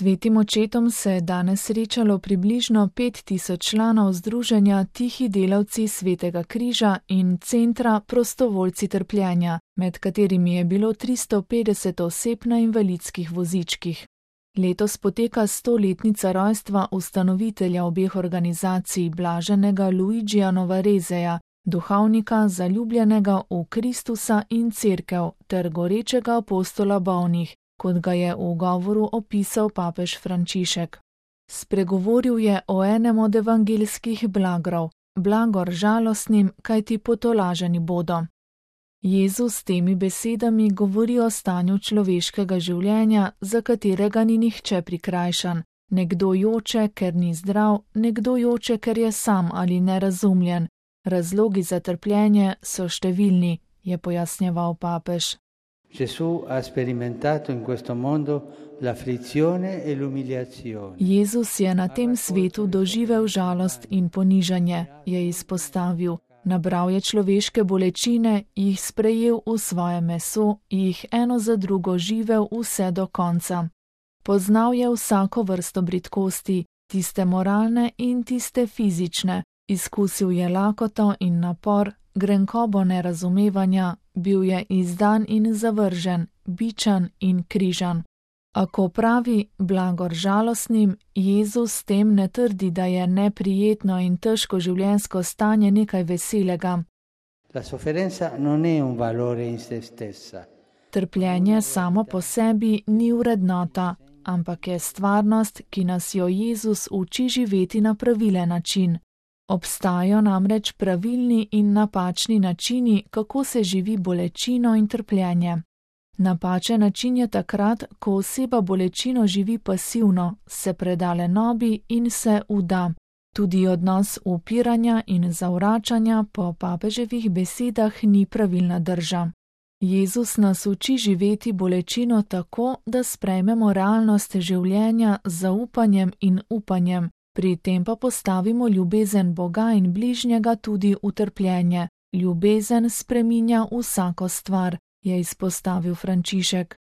Svetim očetom se je danes srečalo približno 5000 članov združenja Tihi delavci Svetega križa in Centra Prostovoljci trpljenja, med katerimi je bilo 350 oseb na invalidskih vozičkih. Letos poteka 100-letnica rojstva ustanovitelja obeh organizacij blaženega Luigija Novareseja, duhovnika zaljubljenega v Kristusa in Cerkev ter gorečega apostola bolnih, kot ga je v govoru opisal papež Frančišek. Spregovoril je o enem od evangeljskih blagrov, blagor žalostnim, kajti potolaženi bodo. Jezus s temi besedami govori o stanju človeškega življenja, za katerega ni nihče prikrajšan. Nekdo joče, ker ni zdrav, nekdo joče, ker je sam ali nerazumljen. Razlogi za trpljenje so številni, je pojasnjeval papež. Gesù ha sperimentato in questo mondo l'afflizione e l'umiliazione. Jezus je na tem svetu doživel žalost in ponižanje, je izpostavil. Nabral je človeške bolečine, jih sprejel v svoje meso, jih eno za drugo živel vse do konca. Poznal je vsako vrsto bridkosti, tiste moralne in tiste fizične. Izkusil je lakoto in napor, grenkobo nerazumevanja, bil je izdan in zavržen, bičan in križan. A ko pravi blagor žalostnim, Jezus s tem ne trdi, da je neprijetno in težko življenjsko stanje nekaj veselega. La sofferenza non è un valore in se stessa. Trpljenje samo po sebi ni vrednota, ampak je stvarnost, ki nas jo Jezus uči živeti na pravilen način. Obstajajo namreč pravilni in napačni načini, kako se živi bolečino in trpljenje. Napačen način je takrat, ko oseba bolečino živi pasivno, se preda lenobi in se vda. Tudi odnos upiranja in zavračanja po papeževih besedah ni pravilna drža. Jezus nas uči živeti bolečino tako, da sprejmemo realnost življenja z zaupanjem in upanjem, pri tem pa postavimo ljubezen Boga in bližnjega tudi v trpljenje. Ljubezen spreminja vsako stvar, je izpostavil Frančišek.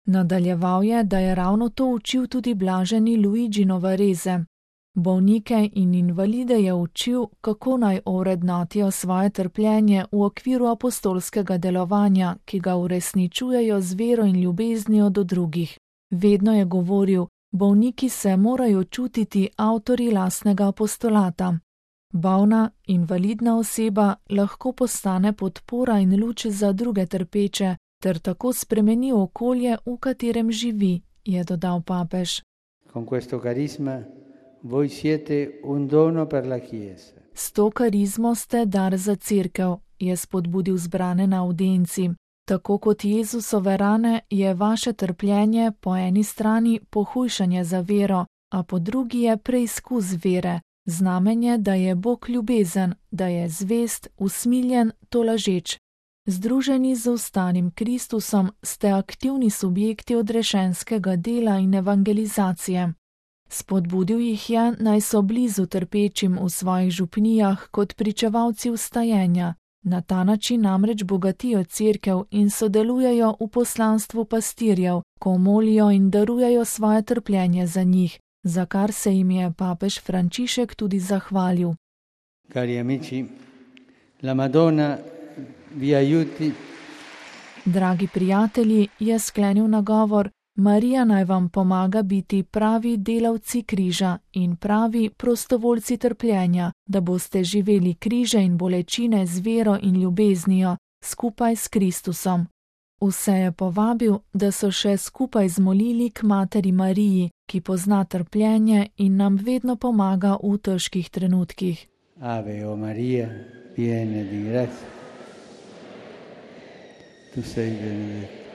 Nadaljeval je, da je ravno to učil tudi blaženi Luigi Novarese. Bolnike in invalide je učil, kako naj ovrednotijo svoje trpljenje v okviru apostolskega delovanja, ki ga uresničujejo z vero in ljubeznijo do drugih. Vedno je govoril, bolniki se morajo čutiti avtorji lastnega apostolata. Bolna, invalidna oseba lahko postane podpora in luč za druge trpeče, ter tako spremeni okolje, v katerem živi, je dodal papež. Con questo carisma voi siete un dono per la Chiesa. S to karizmo ste dar za Cerkev, je spodbudil zbrane na avdienci. Tako kot Jezusove rane je vaše trpljenje po eni strani pohujšanje za vero, a po drugi je preizkus vere, znamenje, da je Bog ljubezen, da je zvest, usmiljen, tolažeč. Združeni z ostalim Kristusom ste aktivni subjekti odrešenskega dela in evangelizacije. Spodbudil jih je, naj so blizu trpečim v svojih župnijah kot pričevalci vstajenja. Na ta način namreč bogatijo Cerkev in sodelujejo v poslanstvu pastirjev, ko molijo in darujejo svoje trpljenje za njih, za kar se jim je papež Frančišek tudi zahvalil. Cari amici, la Madonna vi aiuti. Dragi prijatelji, je sklenil nagovor, Marija naj vam pomaga biti pravi delavci križa in pravi prostovoljci trpljenja, da boste živeli križe in bolečine z vero in ljubeznijo, skupaj s Kristusom. Vse je povabil, da so še skupaj zmolili k materi Mariji, ki pozna trpljenje in nam vedno pomaga v težkih trenutkih. Ave o Maria, piena di grazia, tu sei benedetta.